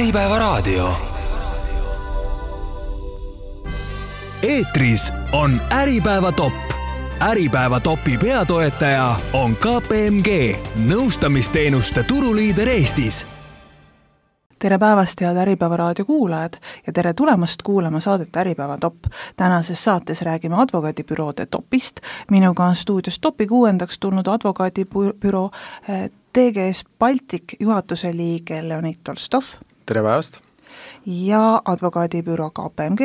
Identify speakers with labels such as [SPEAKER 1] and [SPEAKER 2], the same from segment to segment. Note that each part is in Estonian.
[SPEAKER 1] Äripäevaraadio. Eetris on Äripäeva top. Äripäeva topi peatoetaja on KPMG, nõustamisteenuste turuliider Eestis.
[SPEAKER 2] Tere päevast, head Äripäevaraadio kuulajad ja tere tulemast kuulama saadet Äripäeva top. Tänases saates räägime advokaadibüroode topist. Minuga on stuudios topi 6. tulnud advokaadibüroo TGS Baltic juhatuse liige Leonid Tolstov.
[SPEAKER 3] Tere päevast!
[SPEAKER 2] Ja advokaadibüroo KPMG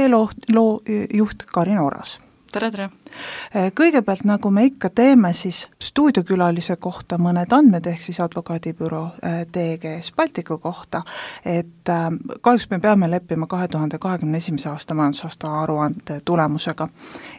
[SPEAKER 2] juht Karin Oras.
[SPEAKER 4] Tere!
[SPEAKER 2] Kõigepealt, nagu me ikka teeme, siis stuudiokülalise kohta mõned andmed ehk siis advokaadibüroo TGS Balticu kohta, et kahjuks me peame leppima 2021. aasta majandusaasta aruande tulemusega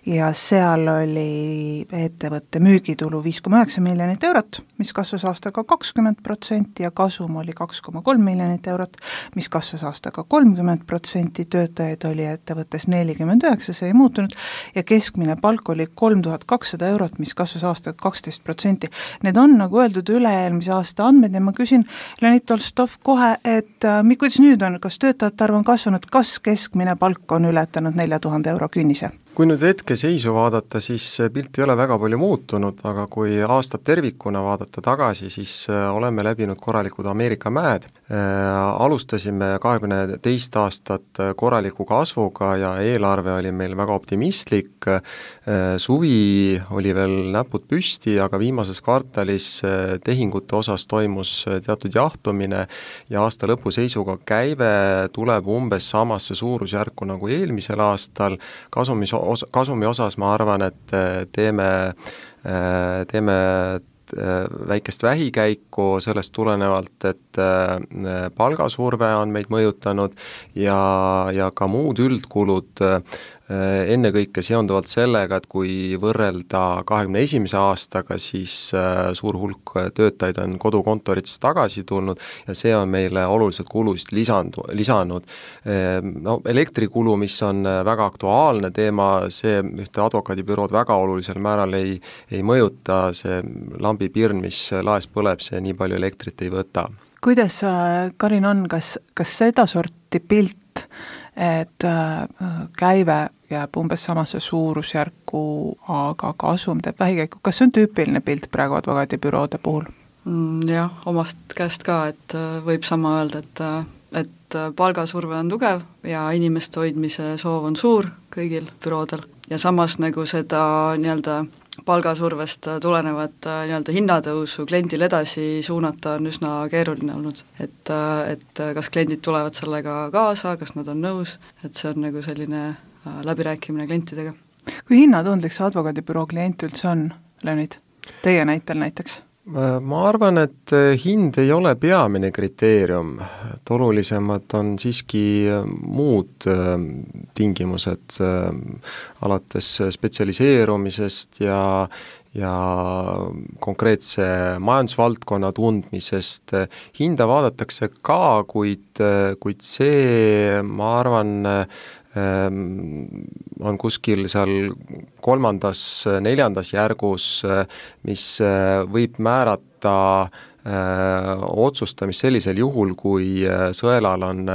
[SPEAKER 2] ja seal oli ettevõtte müügitulu 5,9 miljonit eurot, mis kasvas aastaga 20% ja kasum oli 2,3 miljonit eurot, mis kasvas aastaga 30%, töötajaid oli ettevõttes 49, see ei muutunud ja keskmine palk oli 3200 eurot, mis kasvas aastaga 12%. Need on, nagu öeldud, üle-eelmise aasta andmed ja ma küsin Leonid Tolstov kohe, et kuidas nüüd on, kas töötajate arv on kasvanud, kas keskmine palk on ületanud 4000 euro künnise?
[SPEAKER 3] Kui nüüd hetke seisu vaadata, siis pilt ei ole väga palju muutunud, aga kui aastat tervikuna vaadata tagasi, siis oleme läbinud korralikud Ameerika mäed. Alustasime 22 aastat korraliku kasvuga ja eelarve oli meil väga optimistlik. Suvi oli veel näpud püsti, aga viimases kvartalis tehingute osas toimus teatud jahtumine ja aasta lõpu seisuga käive tuleb umbes samasse suurusjärku nagu eelmisel aastal. Kasumi osas ma arvan, et teeme väikest vähikäiku sellest tulenevalt, et palgasurve on meid mõjutanud ja ka muud üldkulud ennekõike seonduvalt sellega, et kui võrrelda 21. aastaga, siis suur hulk töötajaid on kodukontoritest tagasi tulnud ja see on meile oluliselt kulusid lisanud. No, elektrikulu, mis on väga aktuaalne teema, see ühte advokaadibürood väga olulisel määral ei mõjuta, see lambipirn, mis laes põleb, see nii palju elektrit ei võta.
[SPEAKER 2] Kuidas, Karin, on, kas seda sorti pilt, et käive jääb umbes samasse suurusjärku, aga kasum teeb vähikäiku. Kas see on tüüpiline pilt praegu advokaadibüroode puhul?
[SPEAKER 4] Jah, omast käest ka, et võib sama öelda, et palgasurve on tugev ja inimeste hoidmise soov on suur kõigil büroodel ja samas nagu seda nii-öelda palgasurvest tulenevat nii-öelda hinnatõusu kliendil edasi suunata on üsna keeruline olnud, et kas kliendid tulevad sellega kaasa, kas nad on nõus, et see on nagu selline läbirääkimine klientidega.
[SPEAKER 2] Kui hinnatundlik see advokaadibüroo klient üldse on, Leonid? Teie näitel näiteks?
[SPEAKER 3] Ma arvan, et hind ei ole peamine kriteerium, et olulisemad on siiski muud tingimused alates spetsialiseerumisest ja konkreetse majandusvaldkonna tundmisest. Hinda vaadatakse ka, kuid see, ma arvan, on kuskil seal 3., 4. järgus, mis võib määrata otsustamist sellisel juhul, kui sõelal on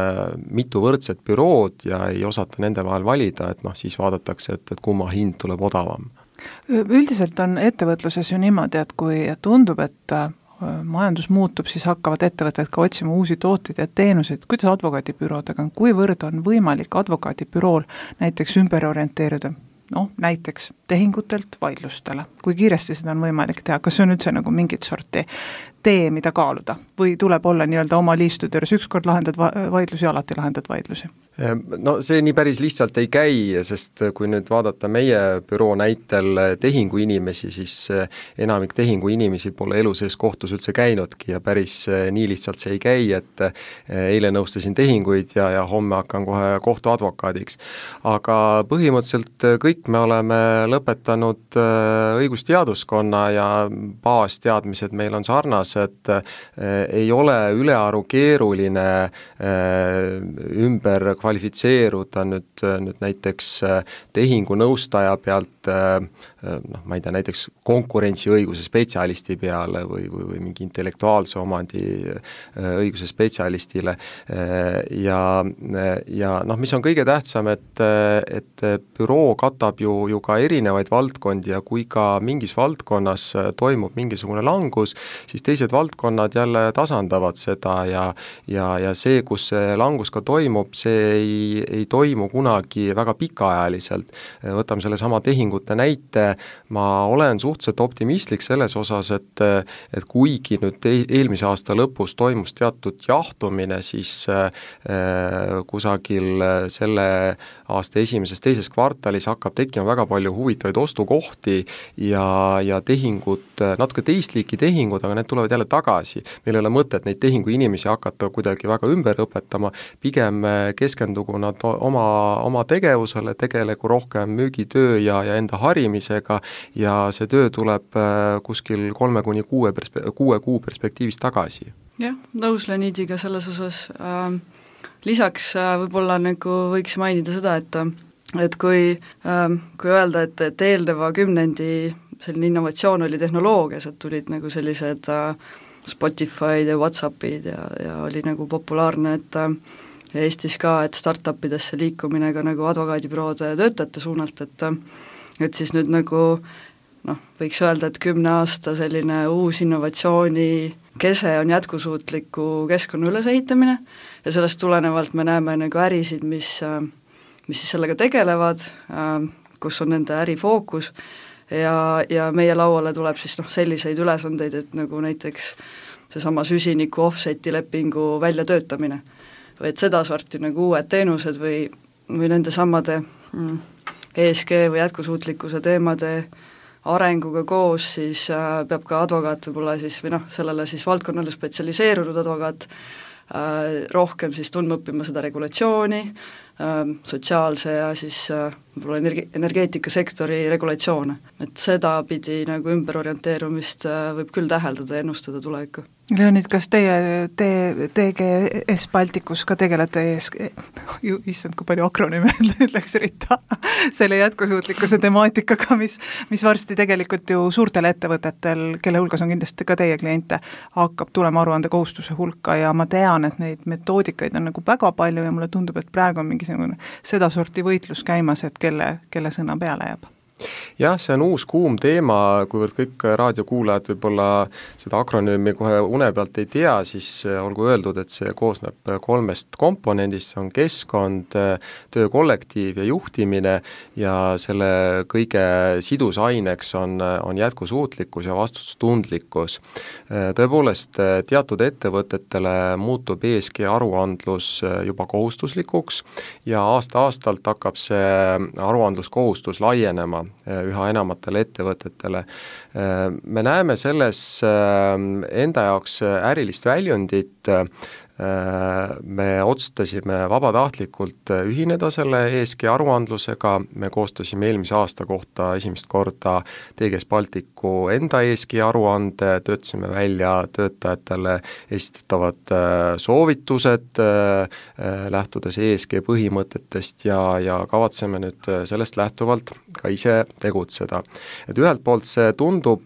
[SPEAKER 3] mitu võrdset bürood ja ei osata nende vahel valida, et siis vaadatakse, et kumma hind tuleb odavam.
[SPEAKER 2] Üldiselt on ettevõtluses ju niimoodi, et kui tundub, et majandus muutub, siis hakkavad ettevõtted ka otsima uusi tooteid ja teenuseid. Kuidas advokaadibüroodega on? Kuivõrd on võimalik advokaadibürool näiteks ümber orienteeruda? Näiteks tehingutelt vaidlustele. Kui kiiresti seda on võimalik teha? Kas see on üldse nagu mingit sorti tee, mida kaaluda? Või tuleb olla nii-öelda oma liistutöös, ükskord lahendad vaidlusi, alati lahendad vaidlusi?
[SPEAKER 3] No see nii päris lihtsalt ei käi, sest kui nüüd vaadata meie büroo näitel tehingu inimesi, siis enamik tehingu inimesi pole elu sees kohtus üldse käinudki ja päris nii lihtsalt see ei käi, et eile nõustasin tehinguid ja homme hakkan kohe kohtuadvokaadiks. Aga põhimõtteliselt kõik me oleme lõpetanud õigusteaduskonna ja baasteadmised meil on sarnased samas, et ei ole ülearu keeruline ümber kvalifitseeruda nüüd näiteks tehingunõustaja pealt ma ei tea, näiteks konkurentsiõiguse spetsialisti peale või mingi intellektuaalse omandi õiguse spetsialistile ja mis on kõige tähtsam, et büroo katab ju ka erinevaid valdkondi ja kui ka mingis valdkonnas toimub mingisugune langus, siis teised valdkonnad jälle tasandavad seda ja see, kus see langus ka toimub, see ei toimu kunagi väga pikaajaliselt. Võtame selle sama tehingute näite, ma olen suhteliselt optimistlik selles osas, et kuigi nüüd eelmise aasta lõpus toimus teatud jahtumine, siis kusagil selle aasta teises kvartalis hakkab tekkima väga palju huvitavaid ostukohti ja tehingud, natuke teist liiki tehingud, aga need tulevad jälle tagasi. Meil ei ole mõtet neid tehingu inimesi hakata kuidagi väga ümber õpetama, pigem keskendugu nad oma tegevusele, tegelegu rohkem müügitöö ja enda harimisega ja see töö tuleb kuskil 3-6 kuu perspektiivis tagasi.
[SPEAKER 4] Jah, nõus Leonidiga selles osas. Lisaks võib-olla nagu võiks mainida seda, et kui öelda, et eelneva kümnendi selline innovatsioon oli tehnoloogias, et tulid nagu sellised Spotify'd ja Whatsappid ja oli nagu populaarne, et Eestis ka, et startupidesse liikumine ka nagu advokaadibüroode töötajate suunalt, et siis nüüd nagu võiks öelda, et 10 aasta selline uus innovatsiooni kese on jätkusuutliku keskkonna ülesehitamine ja sellest tulenevalt me näeme nagu ärisid, mis siis sellega tegelevad, kus on nende ärifookus ja meie lauale tuleb siis selliseid ülesandeid, et nagu näiteks seesama süsiniku offseti lepingu väljatöötamine või et seda sorti nagu uued teenused või nende samade ESG või jätkusuutlikkuse teemade arenguga koos, siis peab ka advokaat võib-olla siis või sellele siis valdkonnale spetsialiseerunud advokaat rohkem siis tundma õppima seda regulatsiooni, sotsiaalse ja siis võib-olla energeetikasektori regulatsioone. Et seda pidi nagu ümberorienteerumist võib küll täheldada ja ennustada tulevikku.
[SPEAKER 2] Leonid, kas teie TGS Balticus ka tegelete issand, kui palju akronüüme ütleks Rita, selle jätkusuutlikkuse temaatikaga, mis varsti tegelikult ju suurtel ettevõtetel, kelle hulgas on kindlasti ka teie kliente, hakkab tulema aruande kohustuse hulka ja ma tean, et neid metoodikaid on nagu väga palju ja mulle tundub, et praegu on mingisugune seda sorti võitlus käimas, et kelle sõna peale jääb.
[SPEAKER 3] Jah, see on uus kuum teema, kuivõrd kõik raadiokuulajad võib-olla seda akronüümi kohe une pealt ei tea, siis olgu öeldud, et see koosneb 3 komponendist, see on keskkond, töökollektiiv ja juhtimine ja selle kõige sidusaineks on jätkusuutlikkus ja vastutustundlikkus. Tõepoolest, teatud ettevõtetele muutub ESG aruandlus juba kohustuslikuks ja aasta-aastalt hakkab see aruandluskohustus laienema üha enamatele ettevõtetele. Me näeme selles enda jaoks ärilist väljundit, me otsustasime vabatahtlikult ühineda selle ESG aruandlusega, me koostasime eelmise aasta kohta esimest korda TGS Balticu enda ESG aruande, töötasime välja töötajatele esitatavad soovitused, lähtudes ESG põhimõtetest ja kavatseme nüüd sellest lähtuvalt ka ise tegutseda. Et ühelt poolt see tundub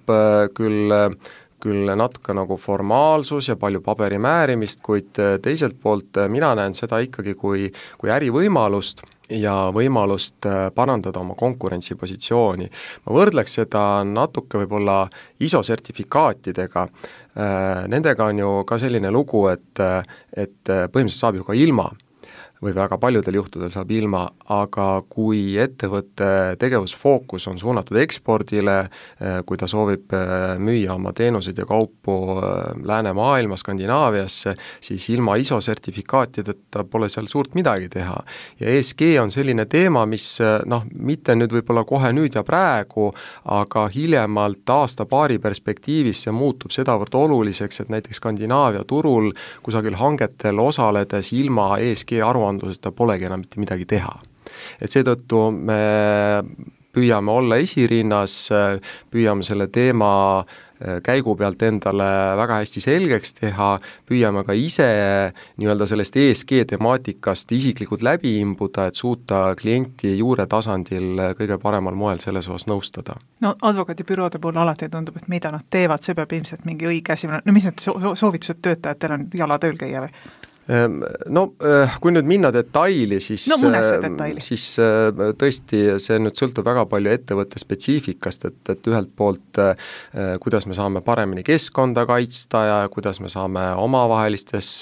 [SPEAKER 3] küll natuke nagu formaalsus ja palju paberimäärimist, kuid teiselt poolt mina näen seda ikkagi kui ärivõimalust ja võimalust parandada oma konkurentsipositsiooni. Ma võrdleks seda natuke võib-olla ISO sertifikaatidega. Nendega on ju ka selline lugu, et põhimõtteliselt saab ju ka ilma või väga paljudel juhtudel saab ilma, aga kui ettevõtte tegevusfookus on suunatud ekspordile, kui ta soovib müüa oma teenuseid ja kaupu Läänemaailma, Skandinaaviasse, siis ilma ISO sertifikaatideta pole seal suurt midagi teha. Ja ESG on selline teema, mis mitte nüüd võib-olla kohe nüüd ja praegu, aga hiljemalt aasta-paari perspektiivis see muutub sedavõrd oluliseks, et näiteks Skandinaavia turul kusagil hangetel osaledes ilma ESG aruandluseta polegi enam mitte midagi teha. Et seetõttu me püüame olla esirinnas, püüame selle teema käigu pealt endale väga hästi selgeks teha, püüame ka ise nii-öelda sellest ESG temaatikast isiklikult läbi imbuda, et suuta klienti juure tasandil kõige paremal moel selles osas nõustada.
[SPEAKER 2] No advokaadibüroode puhul alati tundub, et mida nad teevad, see peab ilmselt mingi õige asi, no mis need soovitused töötajatel on, jala tööl käia või?
[SPEAKER 3] No kui nüüd minna detaili, siis, siis tõesti see nüüd sõltub väga palju ettevõtte spetsiifikast, et ühelt poolt kuidas me saame paremini keskkonda kaitsta ja kuidas me saame omavahelises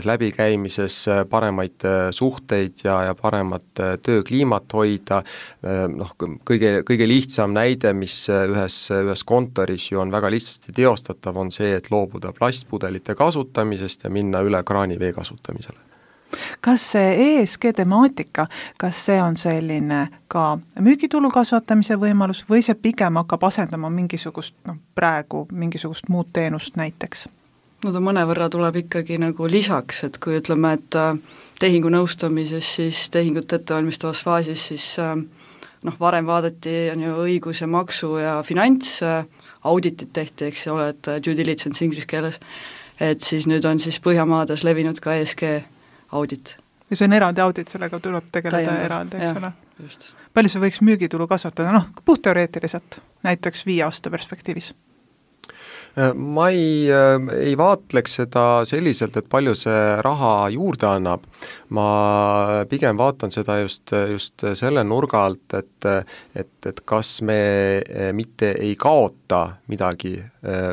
[SPEAKER 3] läbikäimises paremaid suhteid ja paremat töökliimat hoida. Kõige lihtsam näide, mis ühes kontoris ju on väga lihtsasti teostatav, on see, et loobuda plastpudelite kasutamisest ja minna üle kraanivee kasutamisele.
[SPEAKER 2] Kas see ESG temaatika, kas see on selline ka müügitulu kasvatamise võimalus või see pigem hakkab asendama mingisugust muud teenust näiteks?
[SPEAKER 4] No ta mõnevõrra tuleb ikkagi nagu lisaks, et kui ütleme, et tehingu nõustamises, siis tehingut ettevalmistavas faasis, siis varem vaadati on ju õigus ja maksu ja finants, auditit tehti, eks ole, et due diligence inglise keeles, et siis nüüd on siis Põhjamaades levinud ka ESG audit.
[SPEAKER 2] Ja see on eraldi audit, sellega tuleb tegeleda eraldi, eks ole. Palju see võiks müügitulu kasvatada, puhtteoreetiliselt, näiteks 5 aasta perspektiivis?
[SPEAKER 3] Ma ei vaatleks seda selliselt, et palju see raha juurde annab. Ma pigem vaatan seda just selle nurga alt, et kas me mitte ei kaota midagi,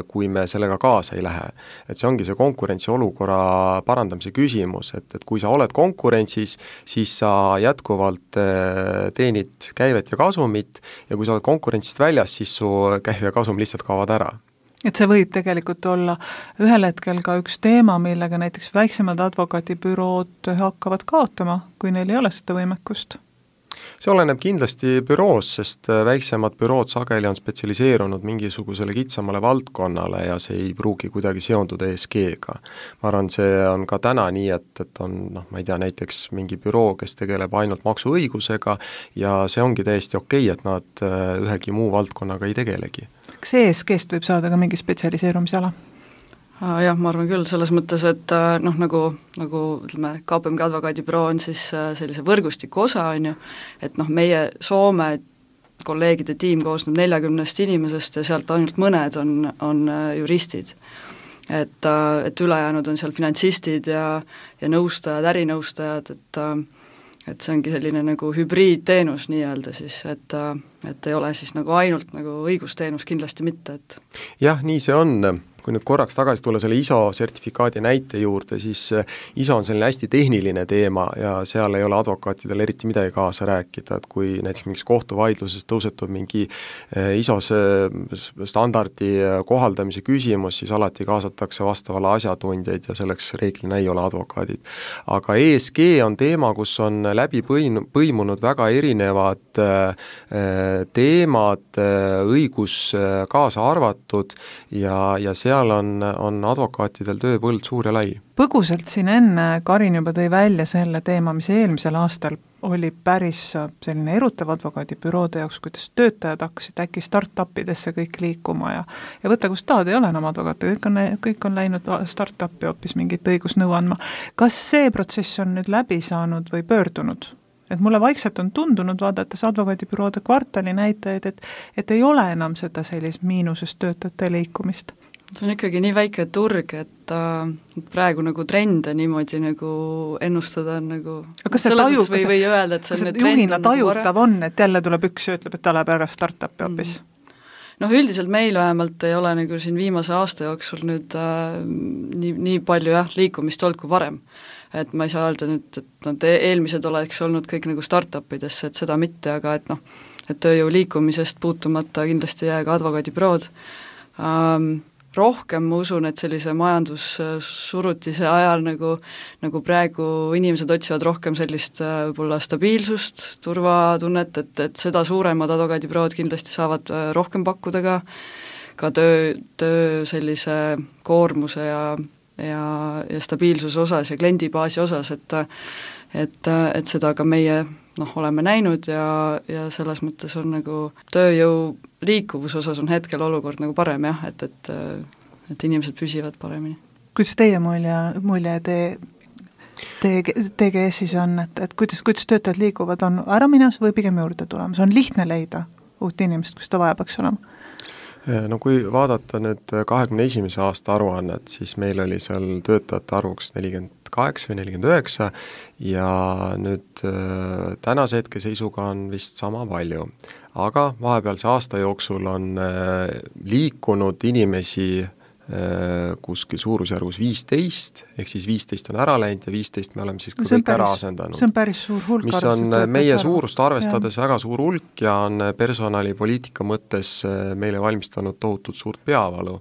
[SPEAKER 3] kui me sellega kaasa ei lähe. Et see ongi see konkurentsiolukorra parandamise küsimus, et kui sa oled konkurentsis, siis sa jätkuvalt teenid käivet ja kasumit ja kui sa oled konkurentsist väljas, siis su käiv ja kasum lihtsalt kaovad ära.
[SPEAKER 2] Et see võib tegelikult olla ühel hetkel ka üks teema, millega näiteks väiksemad advokaadibürood hakkavad kaotama, kui neil ei ole seda võimekust.
[SPEAKER 3] See oleneb kindlasti büroos, sest väiksemad bürood sageli on spetsialiseerunud mingisugusele kitsamale valdkonnale ja see ei pruugi kuidagi seonduda ESG-ga. Ma arvan, see on ka täna nii, et on, ma ei tea, näiteks mingi büroo, kes tegeleb ainult maksuõigusega ja see ongi täiesti okei, et nad ühegi muu valdkonnaga ei tegelegi.
[SPEAKER 2] Kas ESG-st võib saada ka mingi spetsialiseerumisala?
[SPEAKER 4] Jah, ma arvan küll, selles mõttes, et nagu ütleme, KPMG advokaadibüroo on siis sellise võrgustiku osa, on ju, et meie Soome kolleegide tiim koosneb 40 inimesest ja sealt ainult mõned on juristid. Et ülejäänud on seal finantsistid ja nõustajad, ärinõustajad, et see ongi selline nagu hübriidteenus nii-öelda siis, et ei ole siis nagu ainult nagu õigusteenus kindlasti mitte, et
[SPEAKER 3] jah, nii see on. Kui nüüd korraks tagasi tulla selle ISO sertifikaadi näite juurde, siis ISO on selline hästi tehniline teema ja seal ei ole advokaatidel eriti midagi kaasa rääkida, et kui näiteks mingis kohtuvaidluses tõusetub mingi ISO standardi kohaldamise küsimus, siis alati kaasatakse vastavale asjatundjaid ja selleks reeglina ei ole advokaadid. Aga ESG on teema, kus on läbi põimunud väga erinevad teemad, õigus kaasa arvatud ja seal on advokaatidel tööpõld suur ja lai.
[SPEAKER 2] Põgusalt siin enne Karin juba tõi välja selle teema, mis eelmisel aastal oli päris selline erutav advokaadibüroode jaoks, kuidas töötajad hakkasid äkki start-upidesse kõik liikuma ja võtta, kus tahad, ei ole enam advokaate, kõik on läinud start-upi hoopis mingit õigusnõu andma. Kas see protsess on nüüd läbi saanud või pöördunud? Et mulle vaikselt on tundunud vaadates advokaadibüroode kvartali näitajaid, et ei ole enam seda sellist miinusest töötajate liikumist.
[SPEAKER 4] See on ikkagi nii väike turg, et praegu nagu trende niimoodi nagu ennustada on nagu
[SPEAKER 2] kas see tajub,
[SPEAKER 4] või öelda, et see on
[SPEAKER 2] juhina tajutav on, et jälle tuleb üks ja ütleb, et ta läheb ära start-upi hoopis?
[SPEAKER 4] Üldiselt meil vähemalt ei ole nagu siin viimase aasta jooksul nüüd nii palju liikumist olnud kui varem. Et ma ei saa öelda nüüd, et nad eelmised oleks olnud kõik nagu start-upidesse, et seda mitte, aga et tööjõu liikumisest puutumata kindlasti jää ka advokaadibürood. Rohkem ma usun, et sellise majandussurutise ajal nagu praegu inimesed otsivad rohkem sellist võib-olla stabiilsust, turvatunnet, et seda suuremad advokaadibürood kindlasti saavad rohkem pakkuda ka töö sellise koormuse ja stabiilsuse osas ja kliendibaasi osas, et seda ka meie oleme näinud ja selles mõttes on nagu tööjõu liikuvuse osas on hetkel olukord nagu parem jah, et inimesed püsivad paremini.
[SPEAKER 2] Kuidas teie mulje TGS-is on, et kuidas töötajad liiguvad, on ära minas või pigem juurde tulemas, on lihtne leida uut inimest, kus ta vaja peaks olema?
[SPEAKER 3] No kui vaadata nüüd 21. aasta aruannet, siis meil oli seal töötajate arvuks 48 või 49 ja nüüd tänase hetke seisuga on vist sama palju. Aga vahepealse aasta jooksul on liikunud inimesi kuskil suurusjärgus 15, ehk siis 15 on ära läinud ja 15 me oleme siis ka kõik ära asendanud.
[SPEAKER 2] See on päris suur hulk.
[SPEAKER 3] Mis on meie suurust arvestades väga suur hulk ja on personalipoliitika mõttes meile valmistanud tohutult suurt peavalu.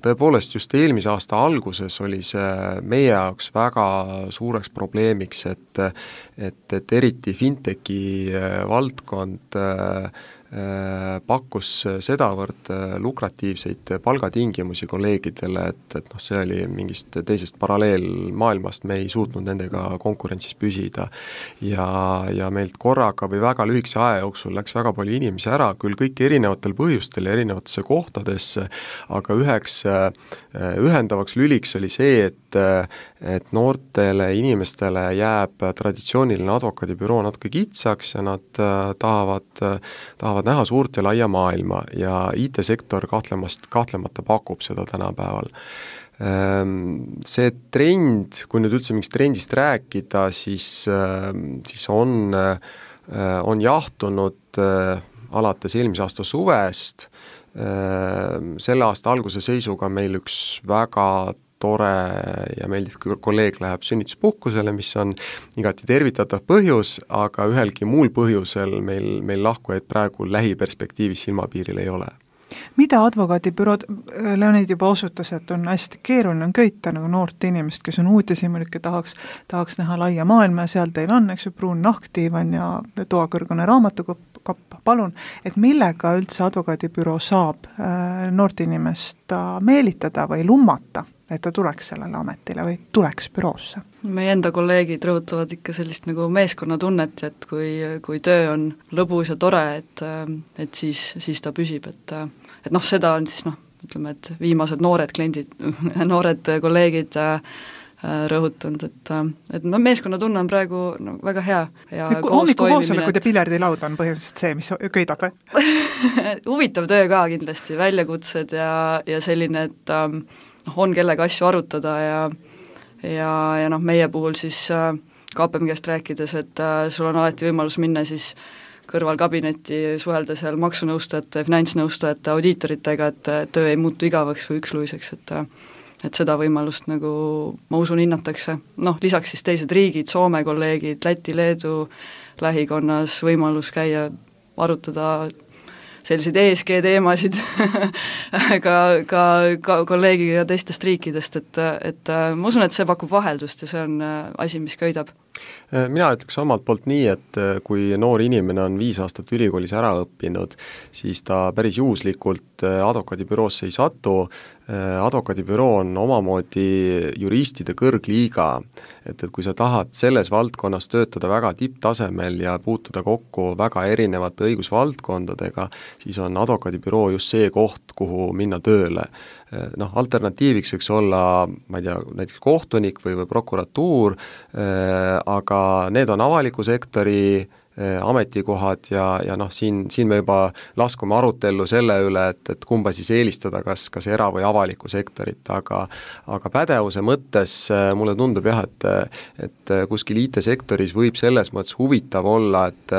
[SPEAKER 3] Tõepoolest just eelmise aasta alguses oli see meie jaoks väga suureks probleemiks, et eriti fintechi valdkond pakkus sedavõrd lukratiivseid palgatingimusi kolleegidele, et see oli mingist teisest paralleelmaailmast, me ei suutnud nendega konkurentsis püsida. Ja meilt korraga või väga lühikese aja jooksul läks väga palju inimesi ära, küll kõik erinevatel põhjustel ja erinevatesse kohtadesse, aga üheks ühendavaks lüliks oli see, et noortele inimestele jääb traditsiooniline advokaadibüroo natuke kitsaks ja nad tahavad näha suurt ja laia maailma ja IT-sektor kahtlemata pakub seda tänapäeval. See trend, kui nüüd üldse mingist trendist rääkida, siis on jahtunud alates eelmise aasta suvest. Selle aasta alguse seisuga meil üks väga tore ja meeldiv kolleeg läheb sünnituspuhkusele, mis on igati tervitatav põhjus, aga ühelgi muul põhjusel meil lahkujaid praegu lähiperspektiivis silmapiiril ei ole.
[SPEAKER 2] Mida advokaadibürood, Leonid juba osutas, et on hästi keeruline on köita nagu noort inimest, kes on uudishimulik ja tahaks näha laia maailma ja seal teil on, eks ju, pruun nahktiivan ja toakõrgune raamatukapp, palun, et millega üldse advokaadibüroo saab noort inimest meelitada või lummata, et ta tuleks sellele ametile või tuleks büroosse?
[SPEAKER 4] Meie enda kolleegid rõhutavad ikka sellist nagu meeskonnatunnet, et kui töö on lõbus ja tore, et siis ta püsib, et seda on siis ütleme, et viimased noored kliendid, noored kolleegid rõhutanud, et meeskonnatunne on praegu väga hea ja
[SPEAKER 2] hommikukoosolekud ja piljardilaud on põhimõtteliselt see, mis köidab või?
[SPEAKER 4] Huvitav töö ka kindlasti, väljakutsed ja selline, et on kellega asju arutada ja meie puhul siis KPMG-st rääkides, et sul on alati võimalus minna siis kõrvalkabinetti, suhelda seal maksunõustajate, finantsnõustajate, audiitoritega, et töö ei muutu igavaks või üksluiseks, et seda võimalust nagu ma usun hinnatakse. Lisaks siis teised riigid, Soome kolleegid, Läti, Leedu lähikonnas võimalus käia, arutada selliseid ESG teemasid ka kolleegiga teistest riikidest, et ma usun, et see pakub vaheldust ja see on asi, mis köidab.
[SPEAKER 3] Mina ütleks omalt poolt nii, et kui noor inimene on 5 aastat ülikoolis ära õppinud, siis ta päris juhuslikult advokaadibüroosse ei satu. Advokaadibüroo on omamoodi juristide kõrgliiga, et kui sa tahad selles valdkonnas töötada väga tipptasemel ja puutuda kokku väga erinevate õigusvaldkondadega, siis on advokaadibüroo just see koht, kuhu minna tööle. Alternatiiviks võiks olla, ma ei tea, näiteks kohtunik või prokuratuur, aga need on avaliku sektori ametikohad ja siin me juba laskume arutellu selle üle, et kumba siis eelistada, kas era- või avaliku sektorit, aga pädevuse mõttes mulle tundub jah, et kuskil IT-sektoris võib selles mõttes huvitav olla, et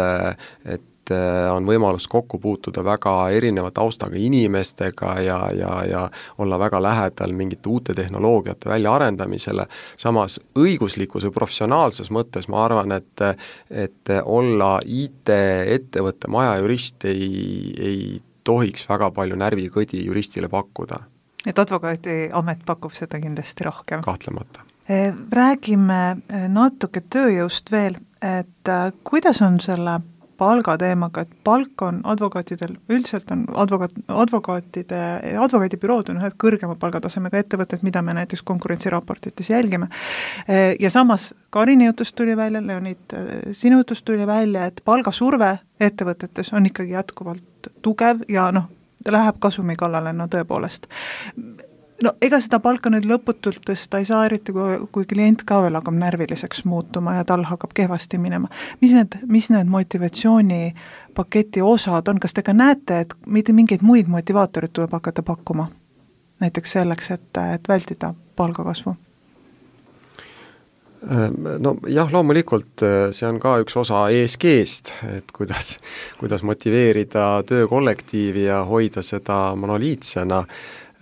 [SPEAKER 3] on võimalus kokku puutuda väga erineva taustaga inimestega ja olla väga lähedal mingite uute tehnoloogiate väljaarendamisele. Samas õiguslikus või professionaalses mõttes ma arvan, et olla IT-ettevõtte majajurist ei tohiks väga palju närvikõdi juristile pakkuda.
[SPEAKER 2] Et advokaadiamet pakub seda kindlasti rohkem.
[SPEAKER 3] Kahtlemata.
[SPEAKER 2] Räägime natuke tööjõust veel, et kuidas on selle palgateemaga, et palk on advokaatidel, üldiselt on advokaadibürood on ühed kõrgema palgatasemega ettevõtted, mida me näiteks konkurentsiraportites jälgime. Ja samas Karini jutust tuli välja, Leonid, sinu jutust tuli välja, et palgasurve ettevõtetes on ikkagi jätkuvalt tugev ja ta läheb kasumi kallale, tõepoolest. Ega seda palka nüüd lõputult tõsta ei saa, eriti kui klient ka veel hakkab närviliseks muutuma ja tal hakkab kehvasti minema. Mis need motivatsioonipaketi osad on? Kas te ka näete, et mingeid muid motivaatorid tuleb hakata pakkuma? Näiteks selleks, et vältida palgakasvu?
[SPEAKER 3] Loomulikult see on ka üks osa ESG-st, et kuidas motiveerida töökollektiivi ja hoida seda monoliitsena.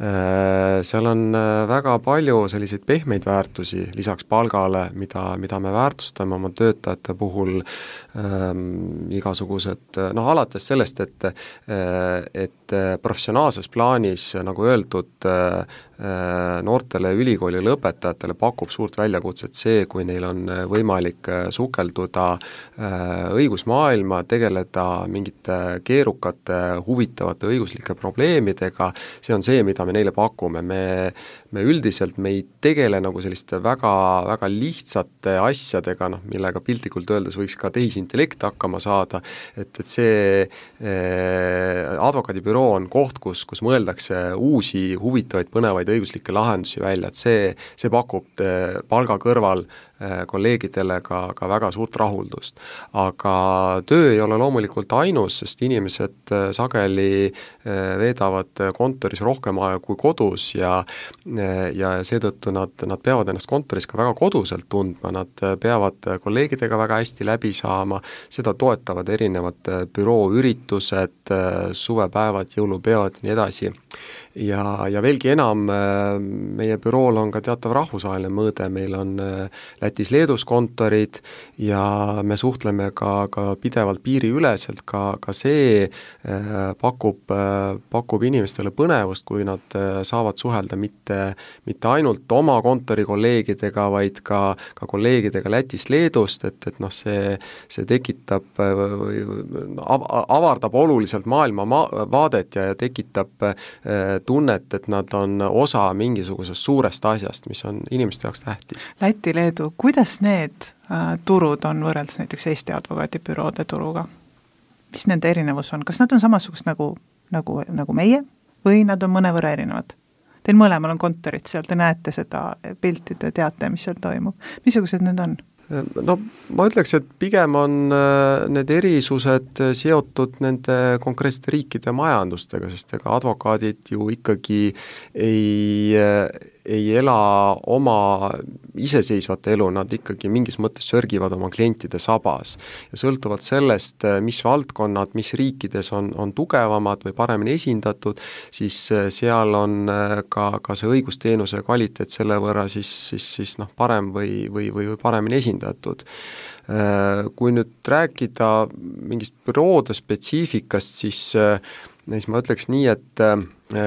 [SPEAKER 3] Seal on väga palju selliseid pehmeid väärtusi lisaks palgale, mida me väärtustame oma töötajate puhul, igasugused, alates sellest, et professionaalses plaanis, nagu öeldud, noortele ülikooli lõpetajatele pakub suurt väljakutset see, kui neil on võimalik sukelduda õigusmaailma, tegeleda mingite keerukate, huvitavate õiguslike probleemidega, see on see, mida me neile pakume. Me üldiselt ei tegele nagu selliste väga, väga lihtsate asjadega, millega piltlikult öeldes võiks ka tehisintellekt hakkama saada, et see advokaadibüroo on koht, kus mõeldakse uusi, huvitavaid, põnevaid õiguslikke lahendusi välja, et see pakub palga kõrval kolleegidele ka väga suurt rahuldust. Aga töö ei ole loomulikult ainus, sest inimesed sageli veedavad kontoris rohkem aega kui kodus ja seetõttu nad peavad ennast kontoris ka väga koduselt tundma, nad peavad kolleegidega väga hästi läbi saama, seda toetavad erinevad bürooüritused, suvepäevad, jõulupeod ja nii edasi. Ja veelgi enam, meie bürool on ka teatav rahvusvaheline mõõde, meil on Lätis-Leedus kontorid ja me suhtleme ka pidevalt piiriüleselt, ka see pakub inimestele põnevust, kui nad saavad suhelda mitte ainult oma kontori kolleegidega, vaid ka kolleegidega Lätist-Leedust, et see tekitab, avardab oluliselt maailma vaadet ja tekitab tunnet, et nad on osa mingisugusest suurest asjast, mis on inimeste jaoks tähtis.
[SPEAKER 2] Läti, Leedu, kuidas need turud on võrreldes näiteks Eesti advokaadibüroode turuga? Mis nende erinevus on? Kas nad on samasugust nagu meie või nad on mõnevõrra erinevad? Teil mõlemal on kontorid seal, te näete seda pilti, te teate, mis seal toimub. Missugused need on?
[SPEAKER 3] Ma ütleks, et pigem on need erisused seotud nende konkreetsete riikide majandustega, sest ega advokaadid ju ikkagi ei ela oma iseseisvat elu, nad ikkagi mingis mõttes sörgivad oma klientide sabas. Ja sõltuvalt sellest, mis valdkonnad, mis riikides on tugevamad või paremini esindatud, siis seal on ka see õigusteenuse kvaliteet selle võrra siis parem või paremini esindatud. Kui nüüd rääkida mingist büroode spetsiifikast, siis ma ütleks nii, et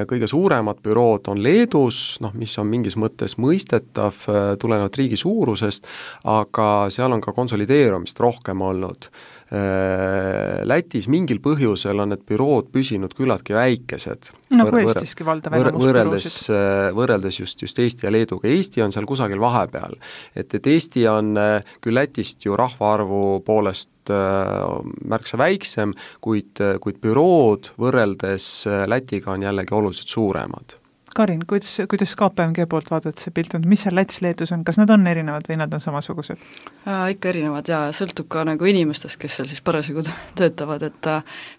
[SPEAKER 3] kõige suuremad bürood on Leedus, mis on mingis mõttes mõistetav tulenevalt riigi suurusest, aga seal on ka konsolideerumist rohkem olnud. Lätis mingil põhjusel on need bürood püsinud küllaltki väikesed.
[SPEAKER 2] Nagu Eestiski valdav enamus büroosid.
[SPEAKER 3] Võrreldes just Eesti ja Leeduga. Eesti on seal kusagil vahepeal. Et Eesti on küll Lätist ju rahvaarvu poolest märksa väiksem, kuid bürood võrreldes Lätiga on jällegi oluliselt suuremad.
[SPEAKER 2] Karin, kuidas KPMG poolt vaadata see pilt on, mis seal Lätis-Leedus on, kas nad on erinevad või nad on samasugused?
[SPEAKER 4] Ikka erinevad ja sõltub ka nagu inimestest, kes seal siis parasjagu töötavad, et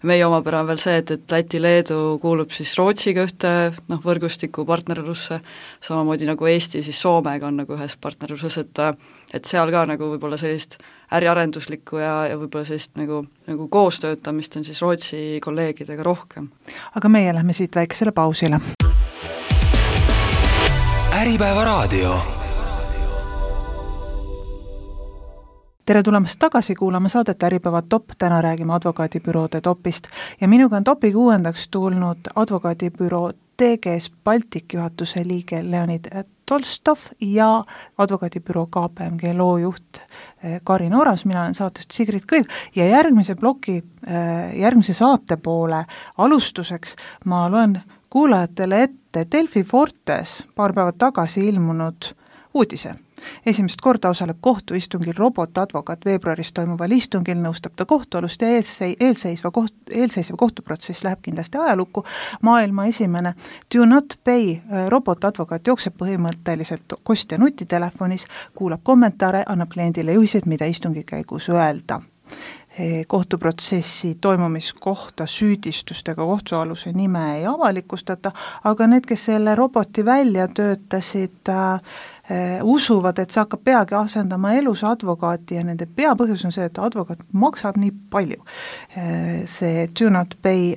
[SPEAKER 4] meie omapära on veel see, et Läti-Leedu kuulub siis Rootsiga ühte võrgustiku partnerlusse, samamoodi nagu Eesti siis Soomega on nagu ühes partnerluses, et seal ka nagu võib-olla sellist äriarenduslikku ja võib-olla sellist nagu koostöötamist on siis Rootsi kolleegidega rohkem.
[SPEAKER 2] Aga meie lähme siit väikesele pausile.
[SPEAKER 1] Äripäeva raadio.
[SPEAKER 2] Tere tulemast tagasi kuulama saadet Äripäeva top, täna räägime advokaadibüroode topist ja minuga on topi 6. tulnud advokaadibüroo TGS Baltic juhatuse liige Leonid Tolstov ja advokaadibüroo KPMG loojuht Karin Oras, mina olen saatejuht Sigrid Kõiv ja järgmise saate poole alustuseks ma loen kuulajatele ette Delfi Fortes paar päeva tagasi ilmunud uudise. Esimest korda osaleb kohtuistungil robotadvokaat veebruaris toimuval istungil, nõustab ta kohtualust ja eelseisva kohtuprotsess läheb kindlasti ajalukku. Maailma esimene Do Not Pay robotadvokaat jookseb põhimõtteliselt kostja nutitelefonis, kuulab kommentaare, annab kliendile juhised, mida istungi käigus öelda. Kohtuprotsessi toimumiskohta süüdistustega kohtualuse nime ei avalikustata, aga need, kes selle roboti välja töötasid, usuvad, et see hakkab peagi asendama elus advokaati ja nende peapõhjus on see, et advokaat maksab nii palju. See Do Not Pay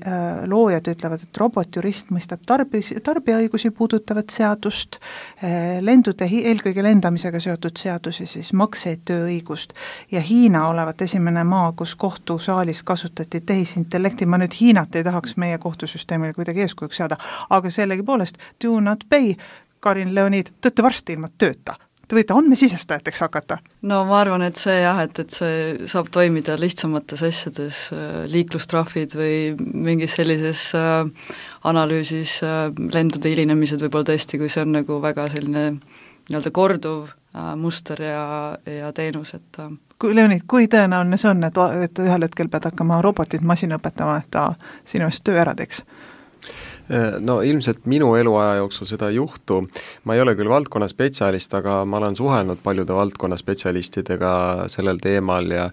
[SPEAKER 2] loojad ütlevad, et robotjurist mõistab tarbijaõigusi puudutavat seadust, eelkõige lendamisega seotud seadusi, siis makseid, tööõigust ja Hiina olevat esimene maa, kus kohtusaalis kasutati tehisintellekti. Ma nüüd Hiinat ei tahaks meie kohtusüsteemile kuidagi eeskujuks saada, aga sellegipoolest Do Not Pay Karin Leonid, te olete varsti ilma tööta. Te võite andmesisestajateks hakata?
[SPEAKER 4] No ma arvan, et see jah, et see saab toimida lihtsamates asjades, liiklustrahvid või mingis sellises analüüsis lendude hilinemised võib-olla tõesti, kui see on nagu väga selline nii-öelda korduv muster ja teenus, et
[SPEAKER 2] Leonid, kui tõenäoline see on, et ühel hetkel pead hakkama robotit masina õpetama, et ta sinu eest töö ära teeks?
[SPEAKER 3] No ilmselt minu eluaja jooksul seda ei juhtu. Ma ei ole küll valdkonna spetsialist, aga ma olen suhelnud paljude valdkonna spetsialistidega sellel teemal ja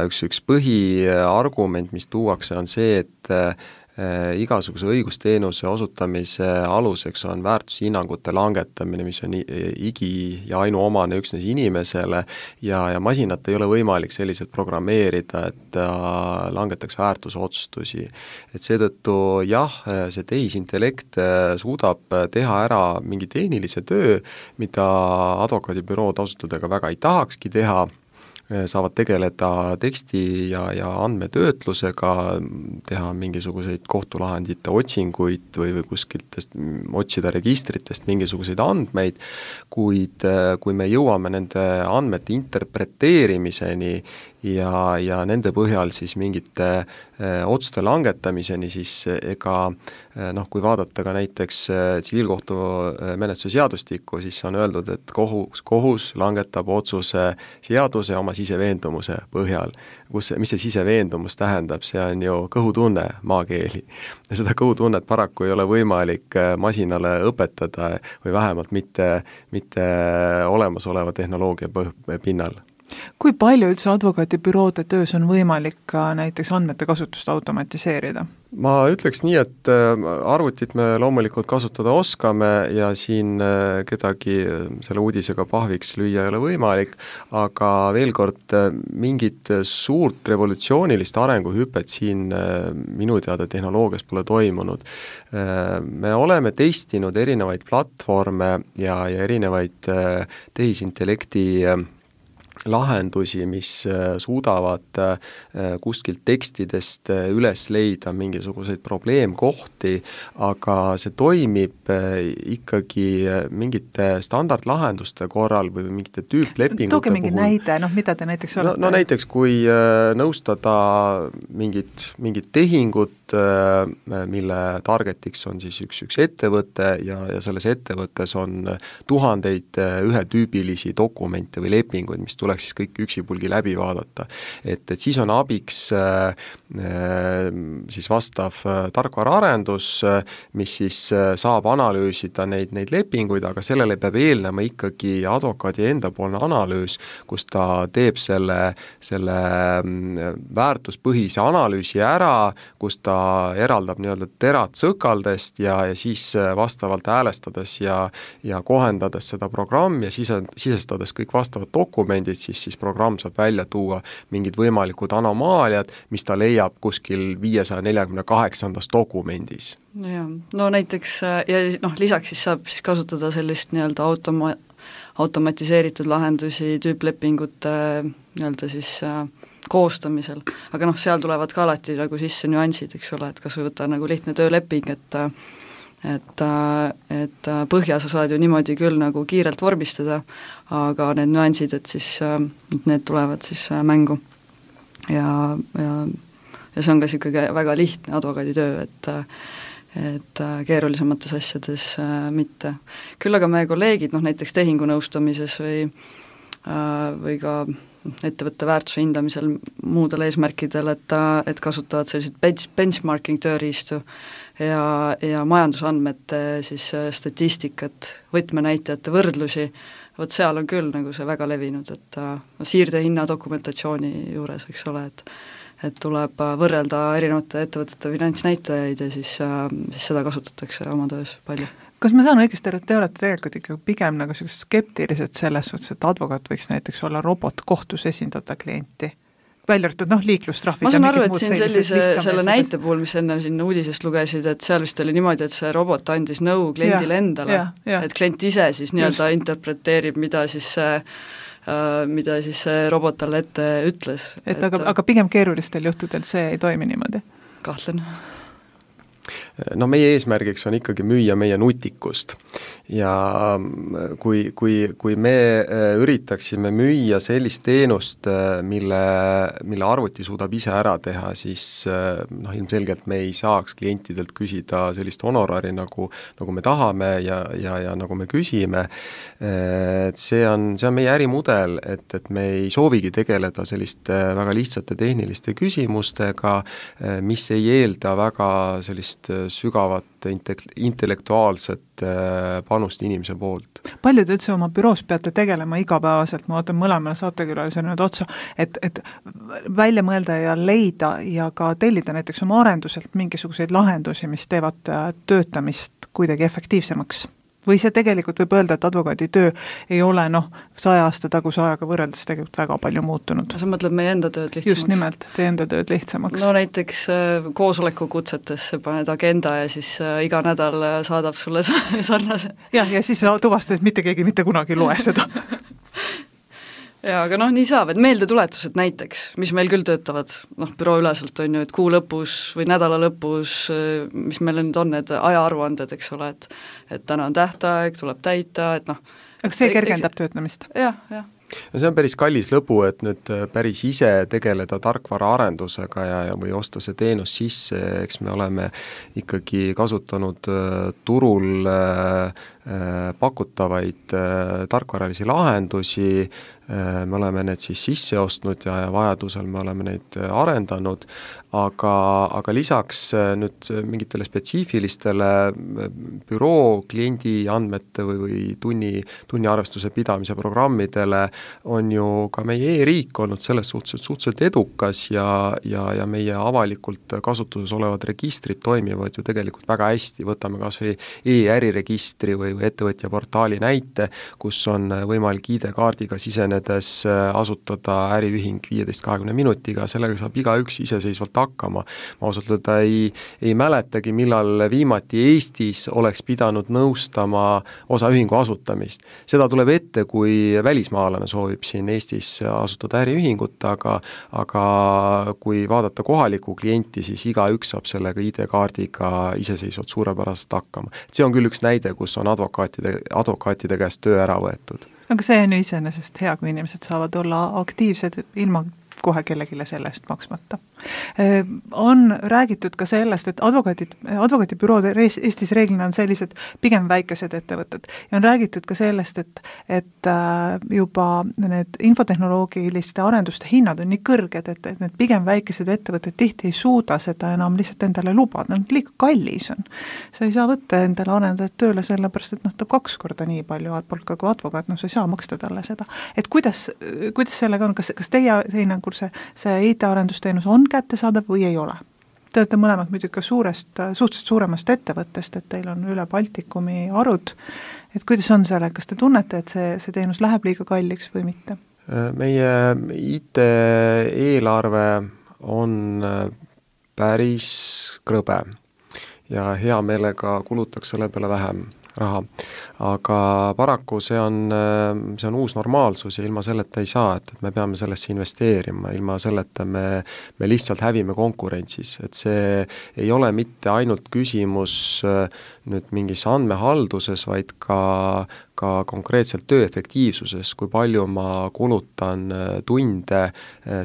[SPEAKER 3] üks põhiargument, mis tuuakse, on see, et igasuguse õigusteenuse osutamise aluseks on väärtushinnangute langetamine, mis on igi ja ainuomane üksnes inimesele ja masinat ei ole võimalik selliselt programmeerida, et langetaks väärtusotsustusi. Et seetõttu jah, see tehisintellekt suudab teha ära mingi tehnilise töö, mida advokaadibürood ausutudega väga ei tahakski teha, saavad tegeleda teksti ja andmetöötlusega, teha mingisuguseid kohtulahendite otsinguid või kuskiltest otsida registritest mingisuguseid andmeid, kuid kui me jõuame nende andmete interpreteerimiseni ja nende põhjal siis mingite otsuste langetamiseni, siis ega kui vaadata ka näiteks tsiviilkohtumenetluse seadustikku, siis on öeldud, et kohus langetab otsuse seaduse oma siseveendumuse põhjal. Mis see siseveendumus tähendab? See on ju kõhutunne maakeeli. Ja seda kõhutunnet paraku ei ole võimalik masinale õpetada või vähemalt mitte olemasoleva tehnoloogia pinnal.
[SPEAKER 2] Kui palju üldse advokaadibüroode töös on võimalik ka näiteks andmete kasutust automatiseerida?
[SPEAKER 3] Ma ütleks nii, et arvutit me loomulikult kasutada oskame ja siin kedagi selle uudisega pahviks lüüa ei ole võimalik, aga veel kord mingit suurt revolutsioonilist arenguhüpet siin minu teada tehnoloogias pole toimunud. Me oleme testinud erinevaid platvorme ja erinevaid tehisintellekti lahendusi, mis suudavad kuskilt tekstidest üles leida mingisuguseid probleemkohti, aga see toimib ikkagi mingite standardlahenduste korral või mingite tüüplepingute
[SPEAKER 2] Tooge mingi näide, mida te näiteks olete?
[SPEAKER 3] No näiteks, kui nõustada mingit tehingut, mille targetiks on siis üks ettevõte ja selles ettevõttes on tuhandeid ühetüübilisi dokumente või lepinguid, mis tuleks siis kõik üksipulgi läbi vaadata. Et siis on abiks siis vastav tarkvaraarendus, mis siis saab analüüsida neid lepinguid, aga sellele peab eelnema ikkagi advokaadi endapoolne analüüs, kus ta teeb selle väärtuspõhise analüüsi ära, kus ta eraldab nii-öelda terad sõkaldest ja siis vastavalt häälestades ja kohendades seda programmi ja sisestades kõik vastavad dokumendid, siis programm saab välja tuua mingid võimalikud anomaaliad, mis ta leiab kuskil 548. dokumendis.
[SPEAKER 4] Ja, no näiteks ja lisaks siis saab siis kasutada sellist nii-öelda automatiseeritud lahendusi tüüplepingute nii-öelda siis koostamisel, aga seal tulevad ka alati nagu sisse nüansid, eks ole, et kas või võtta nagu lihtne tööleping, et põhja sa saad ju niimoodi küll nagu kiirelt vormistada, aga need nüansid, et siis need tulevad siis mängu. Ja see on ka niisugune väga lihtne advokaaditöö, et keerulisemates asjades mitte. Küll aga meie kolleegid, näiteks tehingunõustamises või ka ettevõtte väärtuse hindamisel muudel eesmärkidel, et kasutavad selliseid benchmarking tööriistu ja majandusandmete siis statistikat, võtmenäitajate võrdlusi, vot seal on küll nagu see väga levinud, et siirdehinna dokumentatsiooni juures, eks ole, et tuleb võrrelda erinevate ettevõtete finantsnäitajaid ja siis seda kasutatakse oma töös palju.
[SPEAKER 2] Kas ma saan õigesti aru, et te olete tegelikult ikka pigem nagu skeptilised selles suhtes, et advokaat võiks näiteks olla robot kohtus esindada klienti? Välja arvatud, liiklustrahvid.
[SPEAKER 4] Ma saan aru, et siin selle näite puhul, mis enne siin uudisest lugesid, et seal vist oli niimoodi, et see robot andis nõu kliendile endale, et klient ise siis nii-öelda interpreteerib, mida siis see robot talle ette ütles.
[SPEAKER 2] Aga pigem keerulistel juhtudel see ei toimi niimoodi?
[SPEAKER 4] Kahtlen.
[SPEAKER 3] Meie eesmärgiks on ikkagi müüa meie nutikust ja kui me üritaksime müüa sellist teenust, mille arvuti suudab ise ära teha, siis ilmselgelt me ei saaks klientidelt küsida sellist honorari, nagu me tahame ja nagu me küsime. Et see on meie ärimudel, et me ei soovigi tegeleda selliste väga lihtsate tehniliste küsimustega, mis ei eelda väga sellist sügavat intellektuaalset panust inimese poolt.
[SPEAKER 2] Palju te üldse oma büroos peate tegelema igapäevaselt, ma vaatan mõlemale saatekülalisele nüüd otsa, et välja mõelda ja leida ja ka tellida näiteks oma arenduselt mingisuguseid lahendusi, mis teevad töötamist kuidagi efektiivsemaks? Või see tegelikult võib öelda, et advokaaditöö ei ole 100 aasta taguse ajaga võrreldes tegelikult väga palju muutunud.
[SPEAKER 4] Sa mõtled meie enda tööd lihtsamaks?
[SPEAKER 2] Just nimelt, teie enda tööd lihtsamaks.
[SPEAKER 4] Näiteks koosolekukutsetesse paned agenda ja siis iga nädal saadab sulle sarnase.
[SPEAKER 2] Ja siis sa tuvastad, et mitte keegi mitte kunagi loe seda.
[SPEAKER 4] Jaa, aga nii saab, et meeldetuletused näiteks, mis meil küll töötavad, büroo üleselt on ju, et kuu lõpus või nädala lõpus, mis meil nüüd on need ajaaruanded, eks ole, et täna on tähtaeg, tuleb täita, et
[SPEAKER 2] Aga see kergendab töötamist?
[SPEAKER 4] Jah.
[SPEAKER 3] See on päris kallis lõbu, et nüüd päris ise tegeleda tarkvara arendusega või osta see teenus sisse, eks me oleme ikkagi kasutanud turul pakutavaid tarkvaralisi lahendusi, me oleme need siis sisse ostnud ja vajadusel me oleme neid arendanud, aga lisaks nüüd mingitele spetsiifilistele büroo kliendi andmete või tunniarvestuse pidamise programmidele on ju ka meie e-riik olnud selles suhteliselt edukas ja meie avalikult kasutuses olevad registrid toimivad ju tegelikult väga hästi, võtame kas või e-äriregistri või ettevõtja portaali näite, kus on võimalik ID-kaardiga sisenedes asutada äriühing 15-20 minutiga, sellega saab igaüks iseseisvalt hakkama. Ma ausalt öelda ei mäletagi, millal viimati Eestis oleks pidanud nõustama osaühingu asutamist. Seda tuleb ette, kui välismaalane soovib siin Eestis asutada äriühingut, aga kui vaadata kohalikku klienti, siis igaüks saab sellega ID-kaardiga iseseisvalt suurepäraselt hakkama. See on küll üks näide, kus on advokaatide käest töö ära võetud.
[SPEAKER 2] Aga see on ju iseenesest hea, kui inimesed saavad olla aktiivsed ilma kohe kellegile selle eest maksmata. On räägitud ka sellest, et advokaadibürood Eestis reeglina on sellised pigem väikesed ettevõtted ja on räägitud ka sellest, et juba need infotehnoloogiliste arenduste hinnad on nii kõrged, et need pigem väikesed ettevõtted tihti ei suuda seda enam lihtsalt endale lubada, liiga kallis on. Sa ei saa võtta endale arendajat tööle sellepärast, et ta 2 korda nii palju palka kui advokaat, sa ei saa maksta talle seda. Et kuidas sellega on, kas teie hinnangul see IT-arendusteenus on kättesaadav või ei ole? Te olete mõlemad muidugi ka suhteliselt suuremast ettevõttest, et teil on üle Baltikumi arud, et kuidas on selle, kas te tunnete, et see teenus läheb liiga kalliks või mitte?
[SPEAKER 3] Meie IT-eelarve on päris krõbe ja hea meelega kulutaks selle peale vähem. raha. Aga paraku see on uus normaalsus ja ilma selleta ei saa, et me peame sellesse investeerima, ilma selleta me lihtsalt hävime konkurentsis, et see ei ole mitte ainult küsimus nüüd mingis andmehalduses, vaid ka konkreetselt töö efektiivsuses, kui palju ma kulutan tunde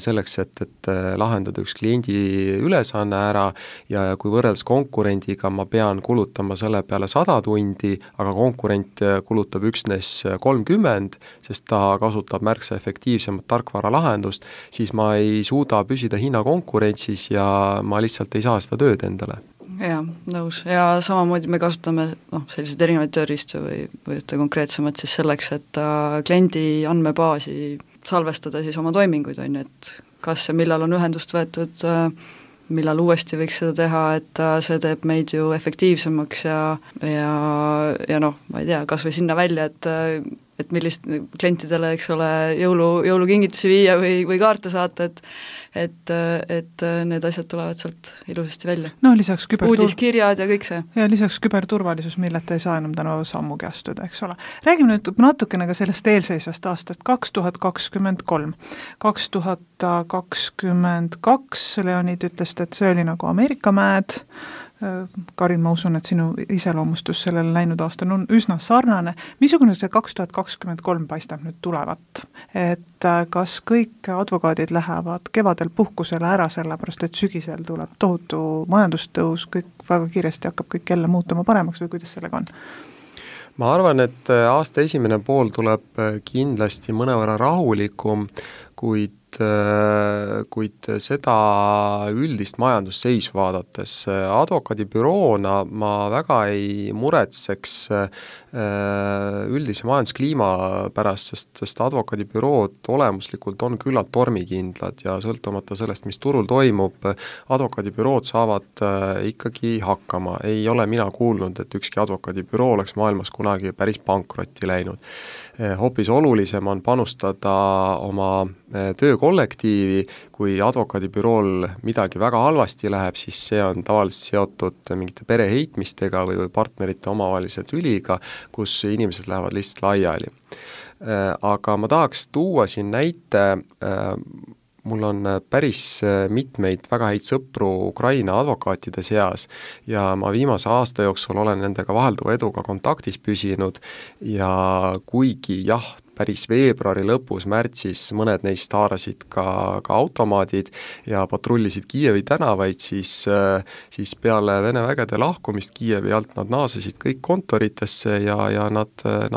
[SPEAKER 3] selleks, et lahendada üks kliendi ülesanne ära ja kui võrreldes konkurendiga ma pean kulutama selle peale 100 tundi, aga konkurent kulutab üksnes 30, sest ta kasutab märksa efektiivsemat tarkvaralahendust, siis ma ei suuda püsida hinnakonkurentsis ja ma lihtsalt ei saa seda tööd endale.
[SPEAKER 4] Jaa, nõus. Ja samamoodi me kasutame selliseid erinevaid tööriistu või ühte konkreetsemalt siis selleks, et kliendi andmebaasi salvestada siis oma toiminguid, on ju, et kas ja millal on ühendust võetud, millal uuesti võiks seda teha, et see teeb meid ju efektiivsemaks ja ma ei tea, kas või sinna välja, et millist klientidele, eks ole, jõulukingitusi viia või kaarte saata, et need asjad tulevad sealt ilusasti välja.
[SPEAKER 2] No lisaks
[SPEAKER 4] uudiskirjad ja kõik see.
[SPEAKER 2] Ja lisaks küberturvalisus, milleta ei saa enam tänu sammugi astuda, eks ole. Räägime nüüd natukene ka sellest eelseisvast aastast 2023. 2022 Leonid ütles, et see oli nagu Ameerika mäed. Karin, ma usun, et sinu iseloomustus sellele läinud aastal on üsna sarnane. Missugune see 2023 paistab nüüd tulevat? Et kas kõik advokaadid lähevad kevadel puhkusele ära, sellepärast et sügisel tuleb tohutu majandustõus, kõik väga kiiresti hakkab kõik jälle muutuma paremaks või kuidas sellega on?
[SPEAKER 3] Ma arvan, et aasta esimene pool tuleb kindlasti mõnevõrra rahulikum, kuid seda üldist majandusseisu vaadates advokaadibüroona ma väga ei muretseks üldise majanduskliima pärast, sest advokaadibürood olemuslikult on küllalt tormikindlad ja sõltumata sellest, mis turul toimub, advokaadibürood saavad ikkagi hakkama. Ei ole mina kuulnud, et ükski advokaadibüroo oleks maailmas kunagi päris pankrotti läinud. Hoopis olulisem on panustada oma töökollektiivi, kui advokaadibürool midagi väga halvasti läheb, siis see on tavaliselt seotud mingite pereheitmistega või partnerite omavahelise tüliga, kus inimesed lähevad lihtsalt laiali. Aga ma tahaks tuua siin näite, mul on päris mitmeid väga häid sõpru Ukraina advokaatide seas ja ma viimase aasta jooksul olen nendega vahelduva eduga kontaktis püsinud ja kuigi päris veebruari lõpus, märtsis mõned neist haarasid ka automaadid ja patrullisid Kiievi tänavaid, siis peale Vene vägede lahkumist Kiievi alt nad naasesid kõik kontoritesse ja nad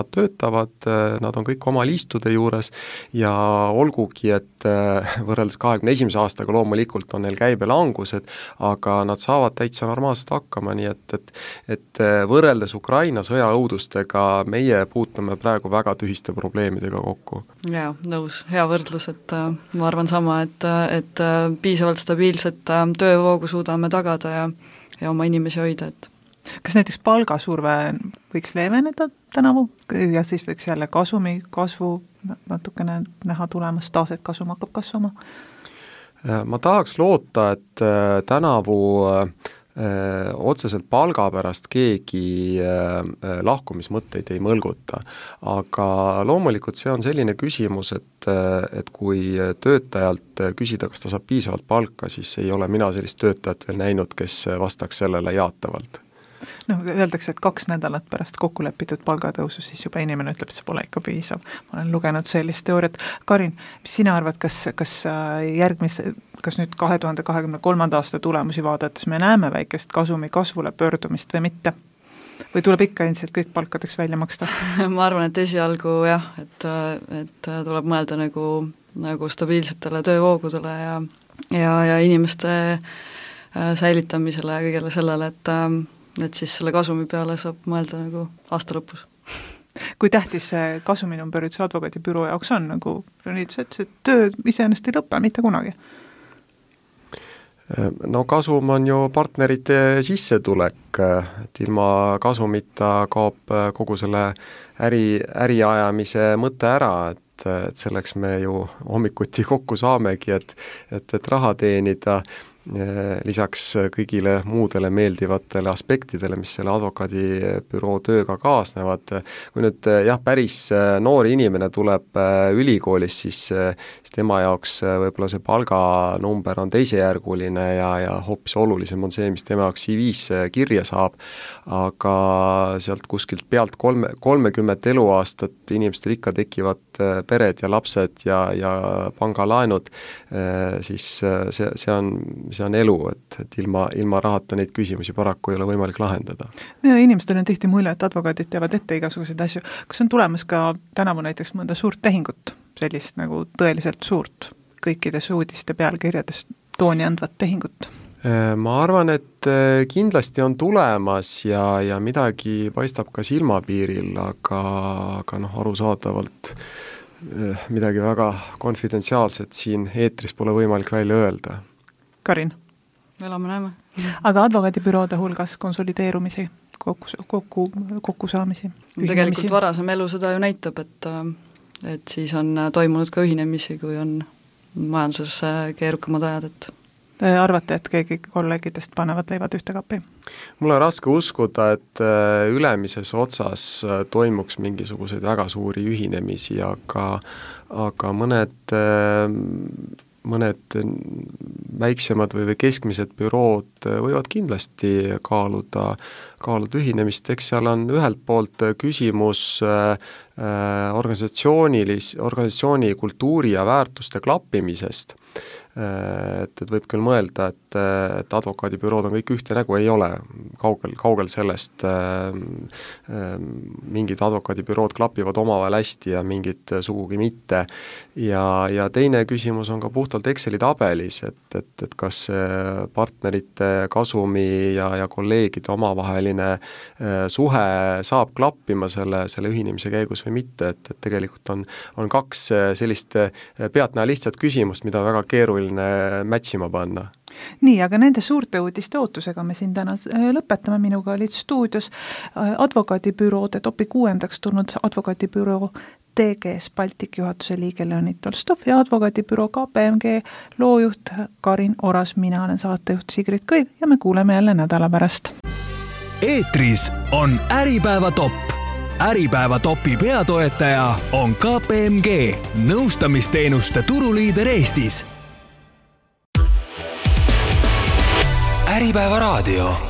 [SPEAKER 3] töötavad, nad on kõik oma liistude juures ja olgugi, et võrreldes 21. aastaga loomulikult on neil käibelangused, aga nad saavad täitsa normaalselt hakkama, nii et võrreldes Ukraina sõjaõudustega meie puutume praegu väga tühiste probleemidega kokku.
[SPEAKER 4] Jaa, nõus, hea võrdlus, et ma arvan sama, et piisavalt stabiilset töövoogu suudame tagada ja oma inimesi hoida, et
[SPEAKER 2] kas näiteks palgasurve võiks leeveneda tänavu ja siis võiks jälle kasumi kasvu natukene näha tulemas, taas, et kasum hakkab kasvama?
[SPEAKER 3] Ma tahaks loota, et tänavu otseselt palga pärast keegi lahkumismõtteid ei mõlguta, aga loomulikult see on selline küsimus, et kui töötajalt küsida, kas ta saab piisavalt palka, siis ei ole mina sellist töötajat veel näinud, kes vastaks sellele jaatavalt.
[SPEAKER 2] Öeldakse, et 2 nädalat pärast kokku lepitud palgatõusu, siis juba inimene ütleb, et see pole ikka piisav. Ma olen lugenud sellist teooriat. Karin, mis sina arvad, kas nüüd 2023. aasta tulemusi vaadates me näeme väikest kasumi kasvule pöördumist või mitte? Või tuleb ikka endiselt kõik palkadeks välja maksta?
[SPEAKER 4] Ma arvan, et esialgu jah, et tuleb mõelda nagu stabiilsetele töövoogudele ja inimeste säilitamisele ja kõigele sellele, et siis selle kasumi peale saab mõelda nagu aasta lõpus.
[SPEAKER 2] Kui tähtis see kasuminumber üldse advokaadibüroo jaoks on, nagu Leonid ütles, et töö iseenesest ei lõpe mitte kunagi?
[SPEAKER 3] No kasum on ju partnerite sissetulek, et ilma kasumita kaob kogu selle äriajamise mõte ära, et selleks me ju hommikuti kokku saamegi, et raha teenida lisaks kõigile muudele meeldivatele aspektidele, mis selle advokaadibüroo tööga kaasnevad. Kui nüüd päris noor inimene tuleb ülikoolis, siis tema jaoks võib-olla see palganumber on teisejärguline ja hoopis olulisem on see, mis tema jaoks CV-s kirja saab, aga sealt kuskilt pealt 30 eluaastat inimestel ikka tekivad pered ja lapsed ja pangalaenud, siis see on elu, et ilma rahata neid küsimusi paraku ei ole võimalik lahendada.
[SPEAKER 2] Ja inimestel on tihti mulje, et advokaadid teavad ette igasuguseid asju. Kas on tulemas ka tänavu näiteks mõnda suurt tehingut, sellist nagu tõeliselt suurt, kõikides uudiste pealkirjades tooni andvat tehingut?
[SPEAKER 3] Ma arvan, et kindlasti on tulemas ja midagi paistab ka silmapiiril, aga arusaadavalt midagi väga konfidentsiaalset siin eetris pole võimalik välja öelda.
[SPEAKER 2] Karin?
[SPEAKER 4] Elame-näeme.
[SPEAKER 2] Aga advokaadibüroode hulgas konsolideerumisi, kokkusaamisi?
[SPEAKER 4] Tegelikult varasem elu seda ju näitab, et siis on toimunud ka ühinemisi, kui on majanduses keerukamad ajad, et
[SPEAKER 2] arvate, et keegi kolleegidest panevad leivad ühte kapi?
[SPEAKER 3] Mul on raske uskuda, et ülemises otsas toimuks mingisuguseid väga suuri ühinemisi, aga mõned väiksemad või keskmised bürood võivad kindlasti kaaluda ühinemist, eks seal on ühelt poolt küsimus organisatsiooni kultuuri ja väärtuste klappimisest, et võib küll mõelda, et advokaadibürood on kõik ühte nägu, ei ole kaugel sellest, mingid advokaadibürood klapivad omavahel hästi ja mingid sugugi mitte, ja teine küsimus on ka puhtalt Exceli tabelis, et kas partnerite kasumi ja kolleegide omavaheline suhe saab klappima selle ühinemise käigus või mitte, et tegelikult on kaks sellist pealtnäha lihtsat küsimust, mida väga keeruline mätsima panna.
[SPEAKER 2] Nii, aga nende suurte uudiste ootusega me siin täna lõpetame. Minuga olid stuudios advokaadibüroode topi 6. tulnud advokaadibüroo TGS Baltic juhatuse liige Leonid Tolstov ja advokaadibüroo KPMG loojuht Karin Oras. Mina olen saatejuht Sigrid Kõiv ja me kuuleme jälle nädala pärast.
[SPEAKER 1] Eetris on Äripäeva topp. Äripäeva topi peatoetaja on KPMG, nõustamisteenuste turuliider Eestis. Äripäeva raadio.